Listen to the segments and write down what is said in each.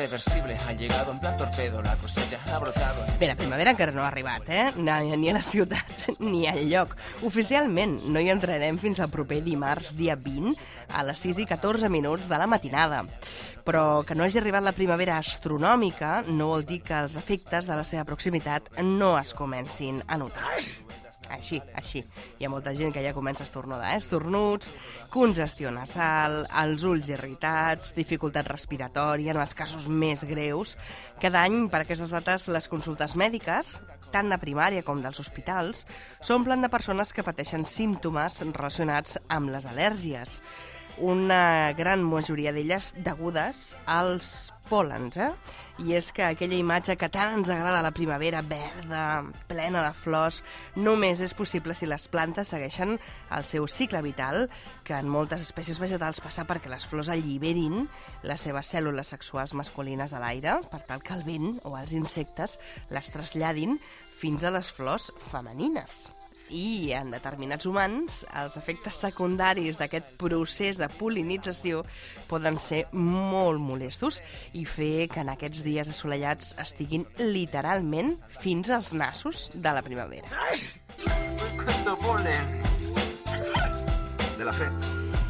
irreversible. Ha llegado en plan torpedo, la cosecha ha brotado. Bé, la primavera encara no ha arribat, ni a la ciutat ni al lloc. Oficialment no hi entrarem fins al proper dimarts, dia 20, a les 6:14 de la matinada. Però que no hagi arribat la primavera astronòmica no vol dir que els efectes de la seva proximitat no es comencin a notar. Així. Hi ha molta gent que ja comença a estornudar, estornuts, congestió nasal, els ulls irritats, dificultat respiratòria en els casos més greus. Cada any, per aquestes dates, les consultes mèdiques, tant de primària com dels hospitals, s'omplen de persones que pateixen símptomes relacionats amb les al·lèrgies. Una gran majoria d'elles degudes als pòlens, I és que aquella imatge que tant ens agrada a la primavera, verda, plena de flors, només és possible si les plantes segueixen el seu cicle vital, que en moltes espècies vegetals passa perquè les flors alliberin les seves cèl·lules sexuals masculines a l'aire, per tal que el vent o els insectes les traslladin fins a les flors femenines. I en determinats humans, els efectes secundaris d'aquest procés de pol·linització poden ser molt molestos i fer que en aquests dies assolellats estiguin literalment fins als nassos de la primavera. ¡Cuánto polen! De la fe.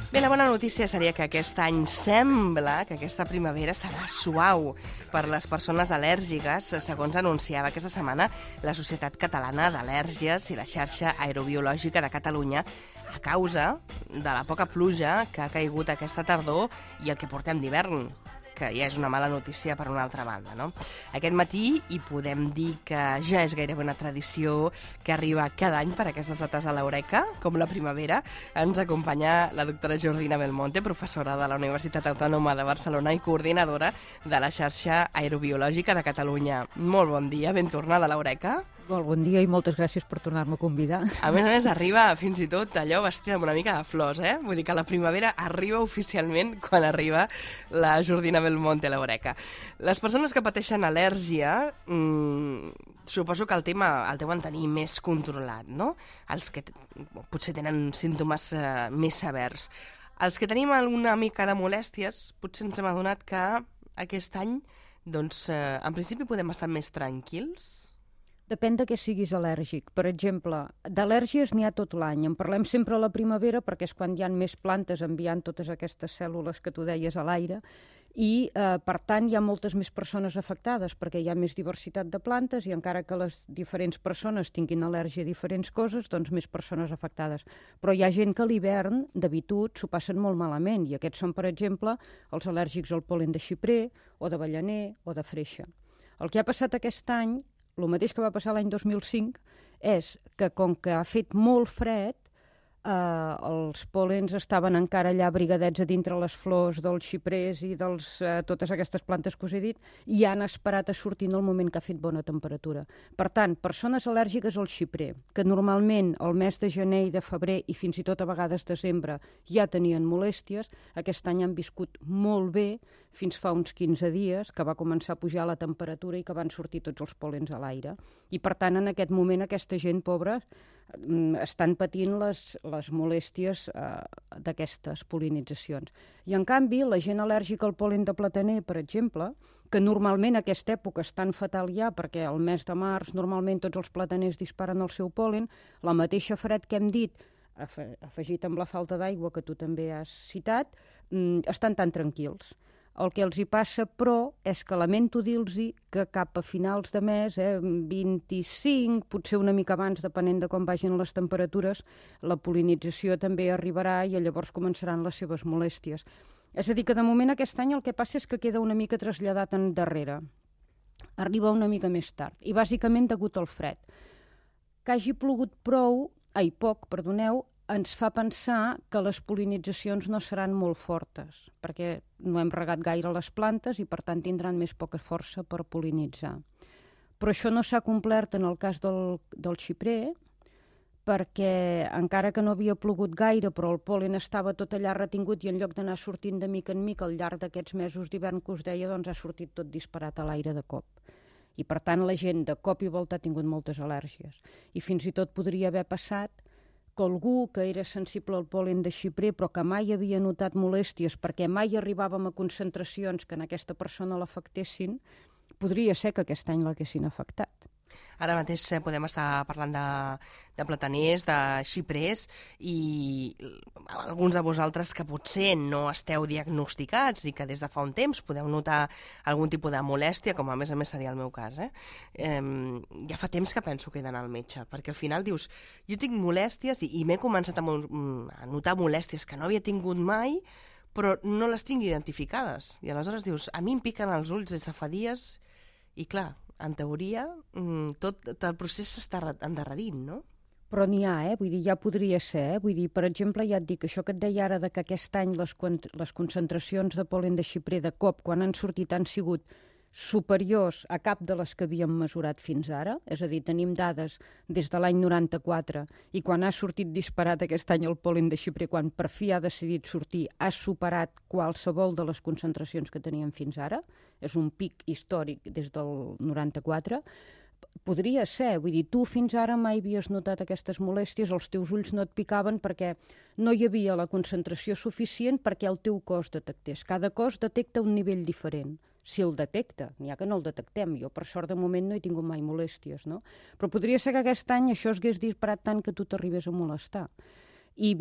Bé, la bona notícia seria que aquest any sembla que aquesta primavera serà suau per les persones al·lèrgiques, segons anunciava aquesta setmana la Societat Catalana d'Al·lèrgies i la xarxa aerobiològica de Catalunya, a causa de la poca pluja que ha caigut aquesta tardor i el que portem d'hivern, que ja és una mala notícia per una altra banda, no? Aquest matí, i podem dir que ja és gairebé una tradició que arriba cada any per aquestes dates a l'Eureka, com la primavera, ens acompanya la doctora Jordina Belmonte, professora de la Universitat Autònoma de Barcelona i coordinadora de la xarxa aerobiològica de Catalunya. Molt bon dia, ben tornada a l'Eureka. Molt bon dia i moltes gràcies per tornar-me a convidar. A més, arriba fins i tot allò vestida amb una mica de flors, Vull dir que la primavera arriba oficialment quan arriba la Jordina Belmonte a l'Eureka. Les persones que pateixen al·lèrgia, suposo que el tema el deuen tenir més controlat, no? Els que potser tenen símptomes més severs. Els que tenim alguna mica de molèsties, potser ens hem adonat que aquest any, doncs, en principi podem estar més tranquils. Depèn de què siguis al·lèrgic. Per exemple, d'al·lèrgies n'hi ha tot l'any. En parlem sempre a la primavera perquè és quan hi ha més plantes enviant totes aquestes cèl·lules que tu deies a l'aire i, per tant, hi ha moltes més persones afectades perquè hi ha més diversitat de plantes i encara que les diferents persones tinguin al·lèrgia a diferents coses, doncs més persones afectades. Però hi ha gent que a l'hivern, d'habitud, s'ho passen molt malament i aquests són, per exemple, els al·lèrgics al pol·len de xiprer o d'avellaner o de freixa. El que ha passat aquest any, el mateix que va passar l'any 2005, és que com que ha fet molt fred, els pòlens estaven encara allà abrigadets a dintre les flors dels xiprers i totes aquestes plantes que us he dit i han esperat a sortir en el moment que ha fet bona temperatura. Per tant, persones al·lèrgiques al xiprer, que normalment el mes de gener i de febrer i fins i tot a vegades desembre ja tenien molèsties, aquest any han viscut molt bé fins fa uns 15 dies, que va començar a pujar la temperatura i que van sortir tots els pòlens a l'aire. I per tant, en aquest moment, aquesta gent pobra estan patint les molèsties d'aquestes pol·linitzacions. I en canvi, la gent al·lèrgica al pol·len de plataner, per exemple, que normalment a aquesta època és tan fatal ja perquè al mes de març normalment tots els plataners disparen el seu pol·len, la mateixa fred que hem dit, afegit amb la falta d'aigua que tu també has citat, estan tan tranquils. El que els hi passa, però, és que lamento dir-los que cap a finals de mes, 25, potser una mica abans, depenent de com vagin les temperatures, la pol·linització també arribarà i llavors començaran les seves molèsties. És a dir, que de moment aquest any el que passa és que queda una mica traslladat endarrere. Arriba una mica més tard, i bàsicament degut al fred. Que hagi plogut poc, ens fa pensar que les pol·linitzacions no seran molt fortes, perquè no hem regat gaire les plantes i, per tant, tindran més poca força per pol·linitzar. Però això no s'ha complert en el cas del xiprer, perquè encara que no havia plogut gaire, però el pol·len estava tot allà retingut i en lloc d'anar sortint de mica en mica al llarg d'aquests mesos d'hivern que us deia, doncs ha sortit tot disparat a l'aire de cop. I, per tant, la gent de cop i volta ha tingut moltes al·lèrgies. I fins i tot podria haver passat que algú que era sensible al pol·len de xiprer però que mai havia notat molèsties perquè mai arribàvem a concentracions que en aquesta persona l'afectessin, podria ser que aquest any l'haguessin afectat. Ara mateix podem estar parlant de plataners, de xiprers, i alguns de vosaltres que potser no esteu diagnosticats i que des de fa un temps podeu notar algun tipus de molèstia, com a més seria el meu cas, ja fa temps que penso que he d'anar al metge, perquè al final dius, jo tinc molèsties i m'he començat a notar molèsties que no havia tingut mai, però no les tinc identificades. I aleshores dius, a mi em piquen els ulls des de fa dies i clar, en teoria, tot el procés s'està endarrerint, no? Però n'hi ha, vull dir, ja podria ser, vull dir, per exemple, ja et dic, això que et deia ara de que aquest any les concentracions de pol·len de xiprer de cop, quan han sortit, han sigut superiors a cap de les que havíem mesurat fins ara, és a dir, tenim dades des de l'any 94 i quan ha sortit disparat aquest any el pol·len de xiprer, quan per fi ha decidit sortir, ha superat qualsevol de les concentracions que teníem fins ara, és un pic històric des del 94, podria ser, vull dir, tu fins ara mai havies notat aquestes molèsties, els teus ulls no et picaven perquè no hi havia la concentració suficient perquè el teu cos detectés. Cada cos detecta un nivell diferent. Si el detecta, n'hi ha que no el detectem. Jo, per sort, de moment no he tingut mai molèsties, no? Però podria ser que aquest any això es hagués disparat tant que tu t'arribés a molestar. I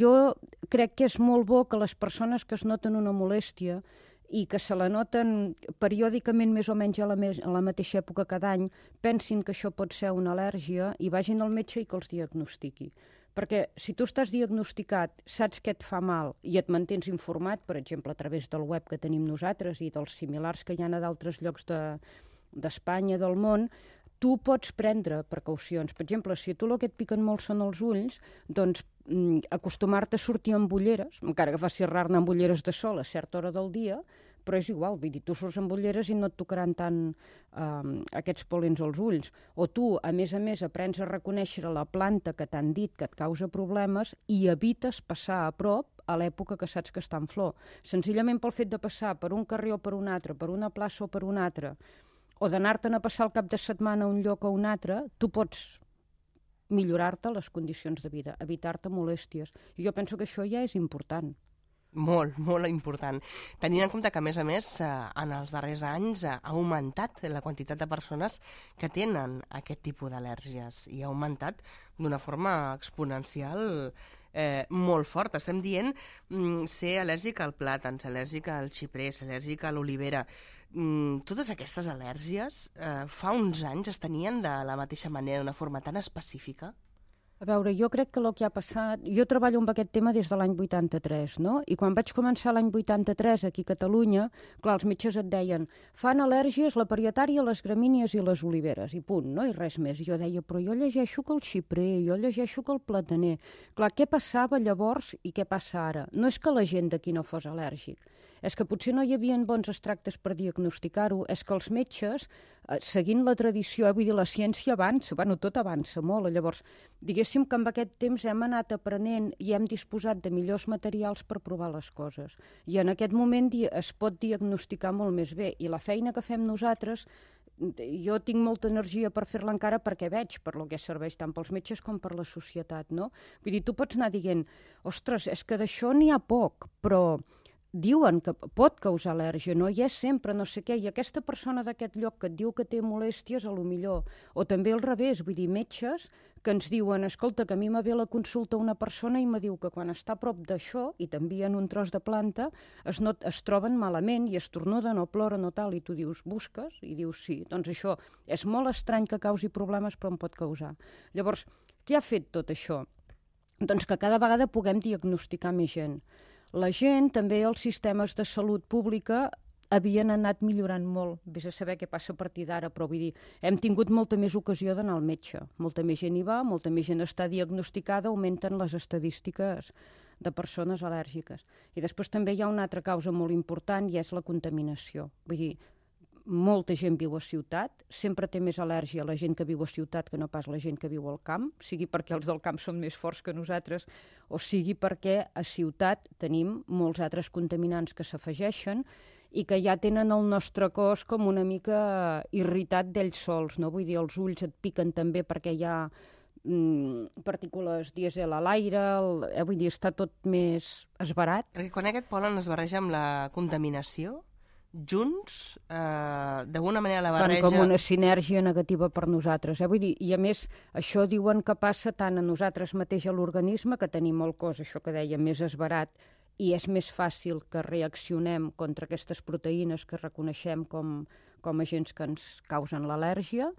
jo crec que és molt bo que les persones que es noten una molèstia i que se la noten periòdicament més o menys a la mateixa època cada any, pensin que això pot ser una al·lèrgia i vagin al metge i que els diagnostiqui. Perquè si tu estàs diagnosticat, saps què et fa mal i et mantens informat, per exemple, a través del web que tenim nosaltres i dels similars que hi ha a d'altres llocs d'Espanya, del món, tu pots prendre precaucions. Per exemple, si a tu el que et piquen molt són els ulls, doncs acostumar-te a sortir amb ulleres, encara que faci rar anar amb ulleres de sol a certa hora del dia, però és igual, vull dir, tu surts amb ulleres i no et tocaran tant aquests pol·lens als ulls. O tu, a més, aprens a reconèixer la planta que t'han dit que et causa problemes i evites passar a prop a l'època que saps que està en flor. Senzillament pel fet de passar per un carrer o per un altre, per una plaça o per una altra, o d'anar-te'n a passar el cap de setmana a un lloc o a un altre, tu pots millorar-te les condicions de vida, evitar-te molèsties. I jo penso que això ja és important. Molt, molt important. Tenint en compte que, a més, en els darrers anys ha augmentat la quantitat de persones que tenen aquest tipus d'al·lèrgies i ha augmentat d'una forma exponencial molt forta. Estem dient ser al·lèrgic al plàtan, ser al·lèrgic al xiprer, ser al·lèrgic a l'olivera. Totes aquestes al·lèrgies fa uns anys es tenien de la mateixa manera, d'una forma tan específica? A veure, jo crec que el que ha passat... Jo treballo amb aquest tema des de l'any 83, no? I quan vaig començar l'any 83 aquí a Catalunya, clar, els metges et deien fan al·lèrgies la parietària, les gramínies i les oliveres, i punt, no? I res més. I jo deia, però jo llegeixo que el xiprer, jo llegeixo que el plataner... Clar, què passava llavors i què passa ara? No és que la gent d'aquí no fos al·lèrgic, és que potser no hi havia bons extractes per diagnosticar-ho, és que els metges, seguint la tradició, vull dir, la ciència avança, bueno, tot avança molt, llavors, diguéssim que amb aquest temps hem anat aprenent i hem disposat de millors materials per provar les coses. I en aquest moment es pot diagnosticar molt més bé, i la feina que fem nosaltres, jo tinc molta energia per fer-la encara perquè veig per lo que serveix tant pels metges com per la societat, no? Vull dir, tu pots anar dient, ostres, és que d'això n'hi ha poc, però diuen que pot causar al·lèrgia, no hi és sempre, no sé què, i aquesta persona d'aquest lloc que et diu que té molèsties, a lo millor, o també al revés, vull dir, metges que ens diuen, escolta, que a mi me ve la consulta una persona i me diu que quan està a prop d'això i t'envien un tros de planta, es troben malament i estornuden o ploren o tal, i tu dius, busques? I dius, sí, doncs això és molt estrany que causi problemes, però en pot causar. Llavors, què ha fet tot això? Doncs que cada vegada puguem diagnosticar més gent. La gent, també els sistemes de salut pública havien anat millorant molt. Vés a saber què passa a partir d'ara, però vull dir, hem tingut molta més ocasió d'anar al metge. Molta més gent hi va, molta més gent està diagnosticada, augmenten les estadístiques de persones al·lèrgiques. I després també hi ha una altra causa molt important i és la contaminació. Vull dir, molta gent viu a ciutat, sempre té més al·lèrgia la gent que viu a ciutat que no pas la gent que viu al camp, sigui perquè els del camp són més forts que nosaltres, o sigui perquè a ciutat tenim molts altres contaminants que s'afegeixen i que ja tenen el nostre cos com una mica irritat d'ells sols, no? Vull dir, els ulls et piquen també perquè hi ha partícules dièsel a l'aire, vull dir, està tot més esbarat. Perquè quan aquest pol·len es barreja amb la contaminació, junts, d'alguna manera la barreja... Fan com una sinergia negativa per nosaltres. Vull dir, i a més, això diuen que passa tant a nosaltres mateix a l'organisme, que tenim el cos, això que deia, més esbarat, i és més fàcil que reaccionem contra aquestes proteïnes que reconeixem com agents que ens causen l'al·lèrgia,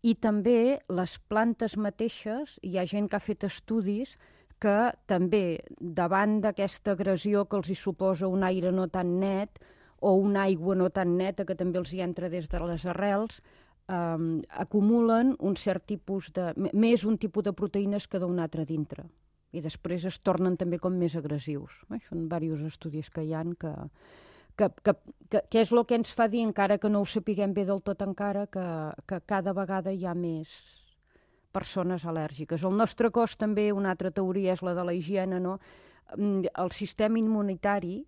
i també les plantes mateixes, hi ha gent que ha fet estudis que també, davant d'aquesta agressió que els hi suposa un aire no tan net o una aigua no tan neta que també els hi entra des de les arrels, acumulen un cert tipus més un tipus de proteïnes que d'un altre dintre. I després es tornen també com més agressius. Són diversos estudis que hi ha que és el que ens fa dir, encara que no ho sapiguem bé del tot encara, que cada vegada hi ha més persones al·lèrgiques. El nostre cos també, una altra teoria és la de la higiene, no? El sistema immunitari,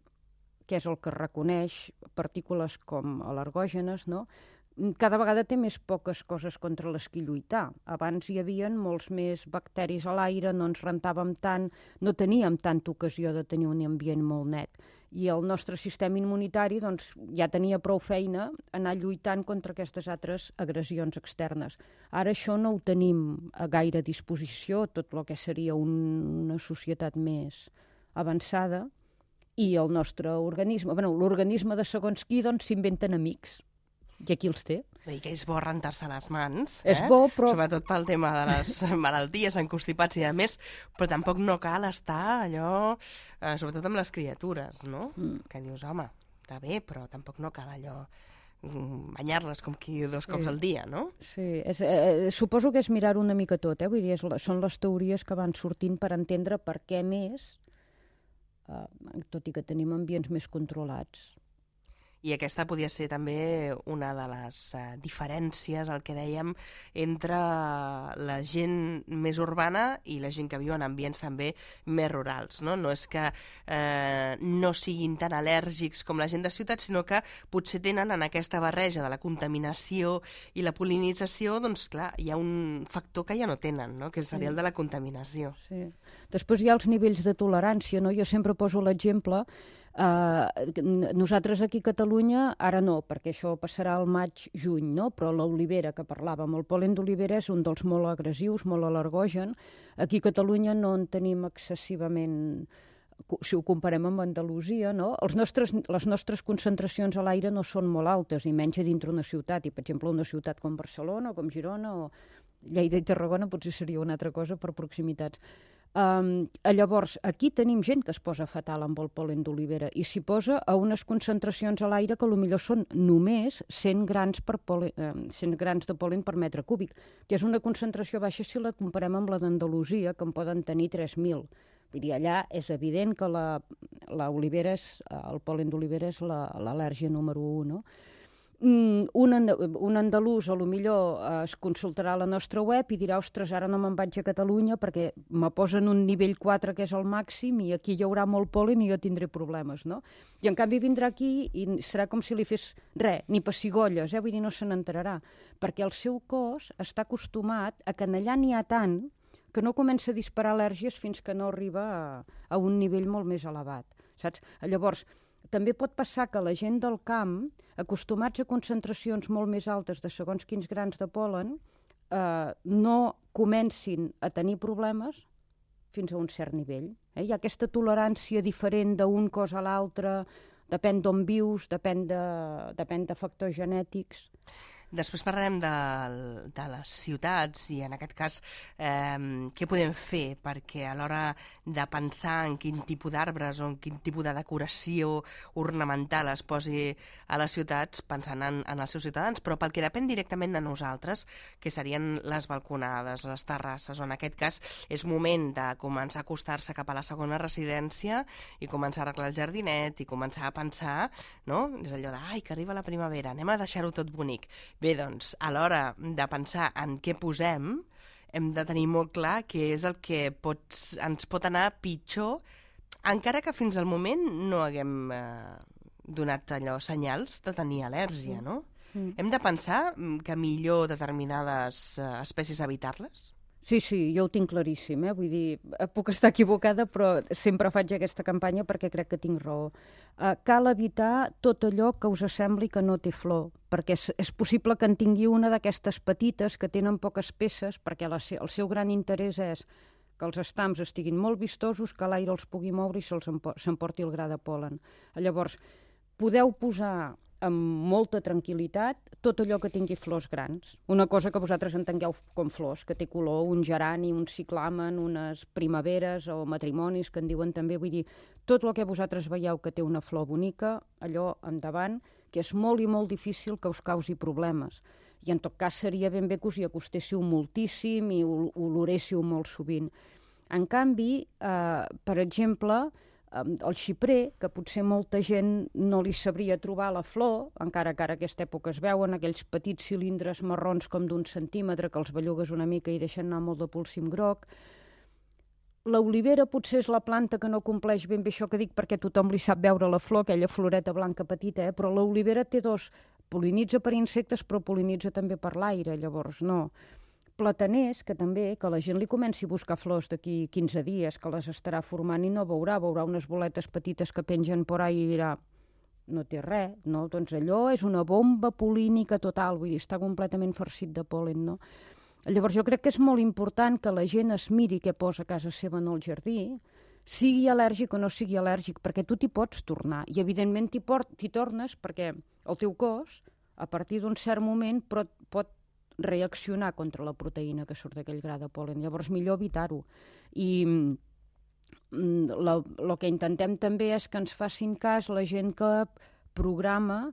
que és el que reconeix partícules com al·lergògenes, no? Cada vegada té més poques coses contra les que lluitar. Abans hi havia molts més bacteris a l'aire, no ens rentàvem tant, no teníem tanta ocasió de tenir un ambient molt net. I el nostre sistema immunitari doncs, ja tenia prou feina anar lluitant contra aquestes altres agressions externes. Ara això no ho tenim a gaire disposició, tot el que seria una societat més avançada, i el nostre organisme, l'organisme de segons qui, doncs s'inventen amics. I aquí els té. I que és bo rentar-se les mans. És bo, però... Sobretot pel tema de les malalties, encostipats i a més, però tampoc no cal estar allò, sobretot amb les criatures, no? Que dius, home, està bé, però tampoc no cal allò banyar-les com qui 2 cops al dia, no? Sí, suposo que és mirar una mica tot, vull dir, són les teories que van sortint per entendre per què més, tot i que tenim ambients més controlats. I aquesta podia ser també una de les diferències, el que dèiem, entre la gent més urbana i la gent que viu en ambients també més rurals, no? No és que no siguin tan al·lèrgics com la gent de ciutat, sinó que potser tenen en aquesta barreja de la contaminació i la pol·linització, doncs clar, hi ha un factor que ja no tenen, no? Que seria el de la contaminació. Sí. Després hi ha els nivells de tolerància, no? Jo sempre poso l'exemple. Nosaltres aquí a Catalunya, ara no, perquè això passarà al maig-juny, no? Però l'olivera que parlàvem, el pol·len d'olivera és un dels molt agressius, molt al·lergogen. Aquí a Catalunya no en tenim excessivament, si ho comparem amb Andalusia, no? Les nostres concentracions a l'aire no són molt altes, i menys a dintre una ciutat, i per exemple una ciutat com Barcelona o com Girona o Lleida i Tarragona potser seria una altra cosa per proximitats. Llavors, aquí tenim gent que es posa fatal amb el pol·len d'olivera i s'hi posa a unes concentracions a l'aire que potser són només 100 grans de pol·len per metre cúbic, que és una concentració baixa si la comparem amb la d'Andalusia, que en poden tenir 3.000. Vull dir, allà és evident que el pol·len d'olivera és l'al·lèrgia número 1, no? Un andalús potser es consultarà a la nostra web i dirà, ostres, ara no me'n vaig a Catalunya perquè me posen un nivell 4 que és el màxim i aquí hi haurà molt pol·len i jo tindré problemes, no? I en canvi vindrà aquí i serà com si li fes res, ni pessigolles, vull dir, no se n'enterarà, perquè el seu cos està acostumat a que allà n'hi ha tant que no comença a disparar al·lèrgies fins que no arriba a un nivell molt més elevat, saps? Llavors, també pot passar que la gent del camp, acostumats a concentracions molt més altes de segons quins grans de pol·len, no comencin a tenir problemes fins a un cert nivell. Hi ha aquesta tolerància diferent d'un cos a l'altre, depèn d'on vius, depèn de factors genètics. Després parlarem de les ciutats i en aquest cas què podem fer perquè a l'hora de pensar en quin tipus d'arbres o en quin tipus de decoració ornamental es posi a les ciutats pensant en els seus ciutadans, però pel que depèn directament de nosaltres, que serien les balconades, les terrasses, o en aquest cas és moment de començar a acostar-se cap a la segona residència i començar a arreglar el jardinet i començar a pensar, no? És allò de, ai, que arriba la primavera, anem a deixar-ho tot bonic. Bé, doncs, a l'hora de pensar en què posem, hem de tenir molt clar què és el que ens pot anar pitjor, encara que fins al moment no haguem donat senyals de tenir al·lèrgia, no? Hem de pensar que millor determinades espècies evitar-les? Sí, jo ho tinc claríssim, vull dir, puc estar equivocada, però sempre faig aquesta campanya perquè crec que tinc raó. Cal evitar tot allò que us sembli que no té flor, perquè és possible que en tingui una d'aquestes petites que tenen poques peces, perquè el seu gran interès és que els estams estiguin molt vistosos, que l'aire els pugui moure i s'emporti el gra de pol·len. Llavors, podeu posar amb molta tranquil·litat tot allò que tingui flors grans. Una cosa que vosaltres entengueu com flors, que té color, un gerani, un ciclamen, unes primaveres o matrimonis, que en diuen també. Vull dir, tot el que vosaltres veieu que té una flor bonica, allò endavant, que és molt i molt difícil que us causi problemes. I en tot cas seria ben bé que us hi acostéssiu moltíssim i oloréssiu molt sovint. En canvi, per exemple, el xiprer, que potser molta gent no li sabria trobar la flor, encara que ara aquesta època es veuen aquells petits cilindres marrons com d'1 centímetre que els bellugues una mica i deixen anar molt de polsim groc. L'olivera potser és la planta que no compleix ben bé això que dic perquè tothom li sap veure la flor, aquella floreta blanca petita, però l'olivera té polinitza per insectes però polinitza també per l'aire, llavors no. Plataners, que també, que la gent li comenci a buscar flors d'aquí 15 dies, que les estarà formant i no veurà unes boletes petites que pengen por ahí i dirà, no té res, no? Doncs allò és una bomba polínica total, vull dir, està completament farcit de pol·len, no? Llavors jo crec que és molt important que la gent es miri què posa a casa seva en el jardí, sigui al·lèrgic o no sigui al·lèrgic, perquè tu t'hi pots tornar, i evidentment t'hi tornes perquè el teu cos, a partir d'un cert moment, pot reaccionar contra la proteïna que surt d'aquell gra de pol·len. Llavors, millor evitar-ho. I el que intentem també és que ens facin cas la gent que programa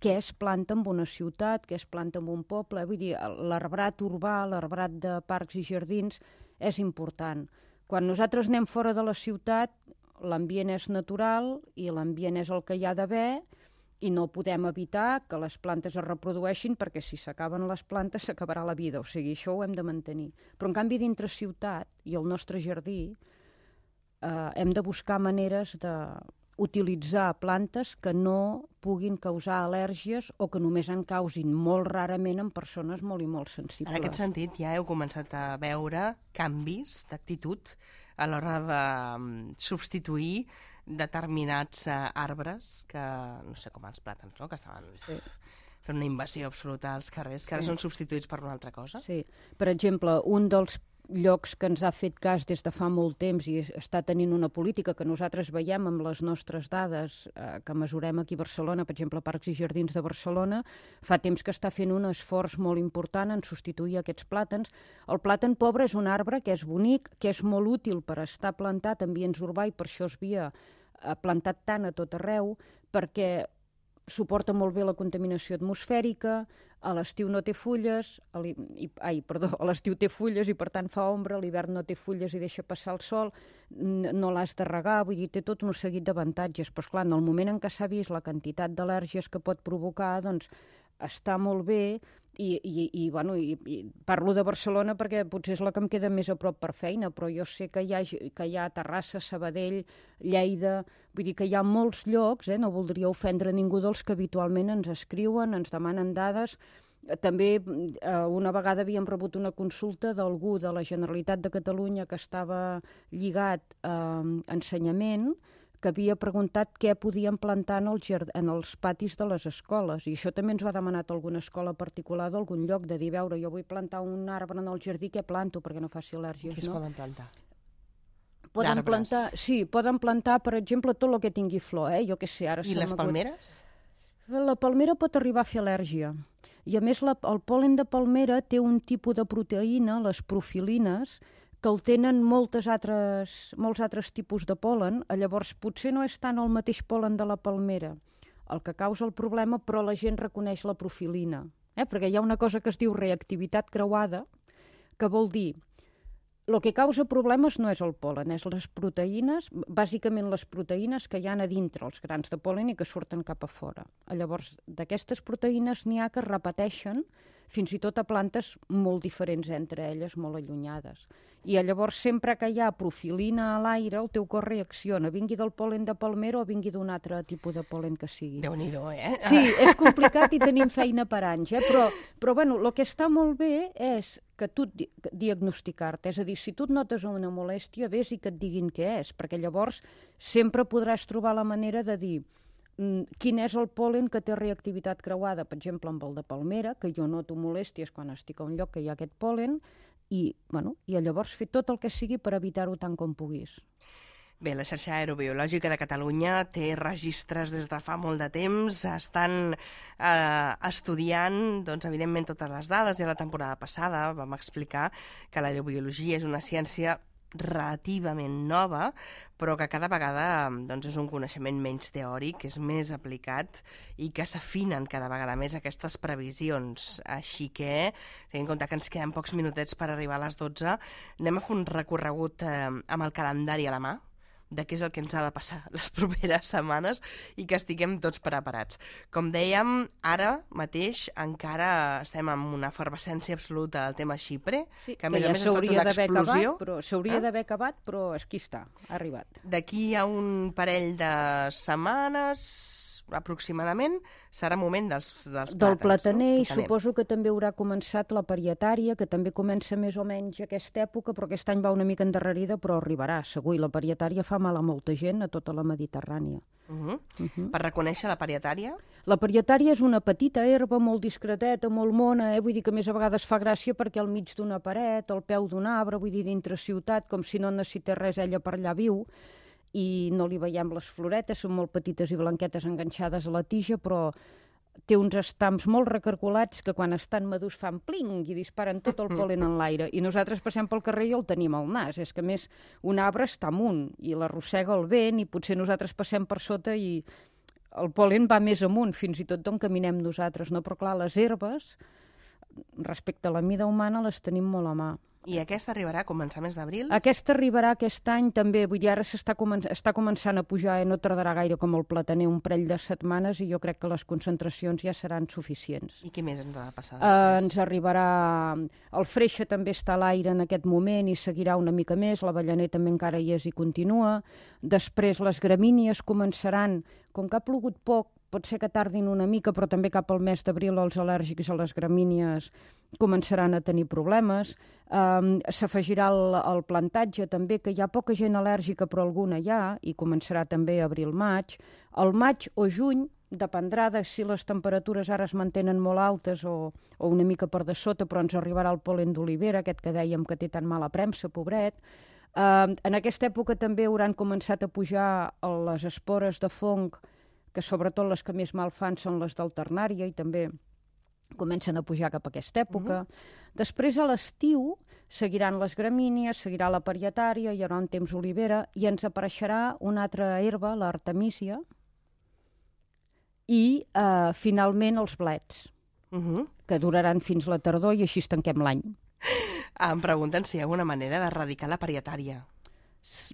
què es planta en una ciutat, què es planta en un poble. Vull dir, l'arbrat urbà, l'arbrat de parcs i jardins és important. Quan nosaltres anem fora de la ciutat, l'ambient és natural i l'ambient és el que hi ha d'haver, i no podem evitar que les plantes es reprodueixin perquè si s'acaben les plantes s'acabarà la vida, o sigui, això ho hem de mantenir. Però en canvi dintre ciutat i el nostre jardí hem de buscar maneres d'utilitzar plantes que no puguin causar al·lèrgies o que només en causin molt rarament en persones molt i molt sensibles. En aquest sentit ja heu començat a veure canvis d'actitud a l'hora de substituir determinats arbres que, no sé com els plàtans, no? Que estaven fent una invasió absoluta als carrers, que ara són substituïts per una altra cosa. Sí. Per exemple, un dels llocs que ens ha fet cas des de fa molt temps i està tenint una política que nosaltres veiem amb les nostres dades que mesurem aquí a Barcelona, per exemple, Parcs i Jardins de Barcelona, fa temps que està fent un esforç molt important en substituir aquests plàtans. El plàtan pobre és un arbre que és bonic, que és molt útil per estar plantat en ambients urbà i per això es havia plantat tant a tot arreu, perquè suporta molt bé la contaminació atmosfèrica, a l'estiu no té fulles, a l'estiu té fulles i per tant fa ombra, a l'hivern no té fulles i deixa passar el sol, no l'has de regar, vull dir, té tot un seguit d'avantatges, però esclar, en el moment en què s'ha vist la quantitat d'al·lèrgies que pot provocar, doncs està molt bé i parlo de Barcelona perquè potser és la que em queda més a prop per feina, però jo sé que hi ha Terrassa, Sabadell, Lleida, vull dir que hi ha molts llocs, no voldria ofendre ningú dels que habitualment ens escriuen, ens demanen dades. També una vegada havíem rebut una consulta d'algú de la Generalitat de Catalunya que estava lligat a ensenyament, que havia preguntat què podíem plantar en els patis de les escoles. I això també ens ho ha demanat alguna escola particular d'algun lloc, de dir, veure, jo vull plantar un arbre en el jardí, què planto perquè no faci al·lèrgies, no? Què es poden plantar? Poden plantar, sí, poden plantar, per exemple, tot el que tingui flor, jo què sé, ara... I les palmeres? La palmera pot arribar a fer al·lèrgia. I a més, el pol·len de palmera té un tipus de proteïna, les profilines, que el tenen molts altres tipus de pol·len, llavors potser no és tant el mateix pol·len de la palmera el que causa el problema, però la gent reconeix la profilina, perquè hi ha una cosa que es diu reactivitat creuada, que vol dir el que causa problemes no és el pol·len, és les proteïnes, bàsicament les proteïnes que hi ha a dintre els grans de pol·len i que surten cap a fora. Llavors, d'aquestes proteïnes n'hi ha que es repeteixen fins i tot a plantes molt diferents entre elles, molt allunyades. I llavors, sempre que hi ha profilina a l'aire, el teu cos reacciona, vingui del pol·len de palmera o vingui d'un altre tipus de pol·len que sigui. Déu-n'hi-do, Sí, és complicat i tenim feina per anys, però bueno, el que està molt bé és que tu diagnosticar-te. És a dir, si tu et notes una molèstia, vés i que et diguin què és, perquè llavors sempre podràs trobar la manera de dir quin és el pol·len que té reactivitat creuada, per exemple, amb el de palmera, que jo noto molèsties quan estic a un lloc que hi ha aquest pol·len, i llavors fer tot el que sigui per evitar-ho tant com puguis. Bé, la xarxa aerobiològica de Catalunya té registres des de fa molt de temps, estan estudiant, doncs, evidentment, totes les dades. Ja la temporada passada vam explicar que l'aerobiologia és una ciència relativament nova, però que cada vegada doncs, és un coneixement menys teòric, és més aplicat i que s'afinen cada vegada més aquestes previsions. Així que, tenint en compte que ens queden pocs minutets per arribar a les 12, anem a fer un recorregut amb el calendari a la mà, de què és el que ens ha de passar les properes setmanes i que estiguem tots preparats. Com dèiem, ara mateix encara estem en una efervescència absoluta del tema Xipre, sí, que a més ha estat una explosió. S'hauria d'haver acabat, però aquí està, ha arribat. D'aquí a un parell de setmanes aproximadament serà moment dels plàtans. Del plataner, no? I suposo que també haurà començat la parietària, que també comença més o menys aquesta època, però aquest any va una mica endarrerida, però arribarà, segur. I la parietària fa mal a molta gent, a tota la Mediterrània. Per reconèixer la parietària? La parietària és una petita herba molt discreteta, molt mona, vull dir que més a vegades fa gràcia perquè al mig d'una paret, al peu d'un arbre, vull dir dintre ciutat, com si no necessités res, ella per allà viu, i no li veiem les floretes, són molt petites i blanquetes enganxades a la tija, però té uns estams molt recargolats que quan estan madurs fan pling i disparen tot el pol·len en l'aire. I nosaltres passem pel carrer i el tenim al nas. És que, a més, un arbre està amunt i l'arrossega el vent i potser nosaltres passem per sota i el pol·len va més amunt, fins i tot d'on caminem nosaltres, no? Però clar, les herbes, respecte a la mida humana, les tenim molt a mà. I aquesta arribarà a començaments d'abril? Aquesta arribarà aquest any també, vull dir, ara està començant a pujar, no tardarà gaire com el plataner, un parell de setmanes, i jo crec que les concentracions ja seran suficients. I què més ens ha de passar després? Ens arribarà... El freixe també està a l'aire en aquest moment i seguirà una mica més, l'avellaner també encara hi és i continua. Després les gramínies començaran, com que ha plogut poc, pot ser que tardin una mica, però també cap al mes d'abril els al·lèrgics a les gramínies començaran a tenir problemes. S'afegirà el plantatge també, que hi ha poca gent al·lèrgica, però alguna hi ha, i començarà també abril-maig. El maig o juny dependrà de si les temperatures ara es mantenen molt altes o una mica per de sota, però ens arribarà el pol·len d'olivera, aquest que dèiem que té tan mala premsa, pobret. En aquesta època també hauran començat a pujar les espores de fong, que sobretot les que més mal fan són les d'alternària i també comencen a pujar cap a aquesta època. Després, a l'estiu, seguiran les gramínies, seguirà la parietària, hi haurà un temps olivera i ens apareixerà una altra herba, l'artemísia, i finalment els blets, que duraran fins la tardor i així tanquem l'any. Em pregunten si hi ha alguna manera d'erradicar la parietària.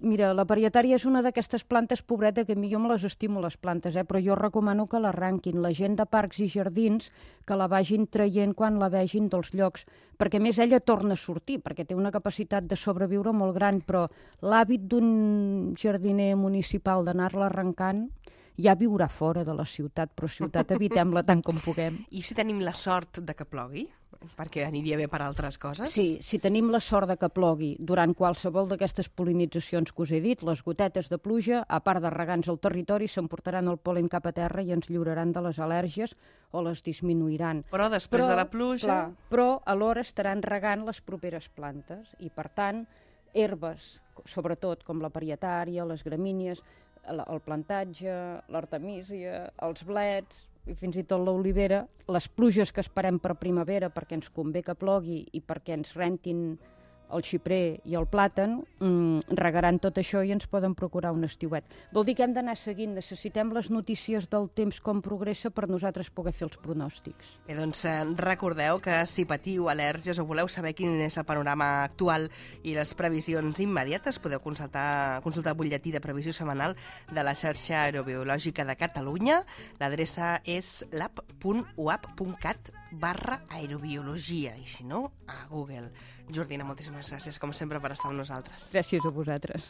Mira, la parietària és una d'aquestes plantes pobreta que a mi jo me les estimo, les plantes, però jo recomano que l'arranquin. La gent de parcs i jardins que la vagin traient quan la vegin dels llocs, perquè a més ella torna a sortir, perquè té una capacitat de sobreviure molt gran, però l'hàbit d'un jardiner municipal d'anar-la arrencant ja viurà fora de la ciutat, però ciutat evitem-la tant com puguem. I si tenim la sort de que plogui? Perquè aniria bé per altres coses? Sí, si tenim la sort de que plogui durant qualsevol d'aquestes polinitzacions que us he dit, les gotetes de pluja, a part de regar-nos el territori, s'emportaran el pol·len cap a terra i ens lliuraran de les al·lèrgies o les disminuiran. Però després de la pluja... Clar, però alhora estaran regant les properes plantes i, per tant, herbes, sobretot com la parietària, les gramínies, el plantatge, l'artemísia, els blets i fins i tot l'olivera, les pluges que esperem per primavera perquè ens convé que plogui i perquè ens rentin el xiprer i el plàtan, regaran tot això i ens poden procurar un estiuet. Vol dir que hem d'anar seguint, necessitem les notícies del temps com progressa per nosaltres poder fer els pronòstics. Bé, doncs recordeu que si patiu al·lèrgies o voleu saber quin és el panorama actual i les previsions immediates, podeu consultar el butlletí de previsió setmanal de la xarxa aerobiològica de Catalunya. L'adreça és lab.uap.cat/aerobiologia i, si no, a Google. Jordina, moltíssimes gràcies, com sempre, per estar amb nosaltres. Gràcies a vosaltres.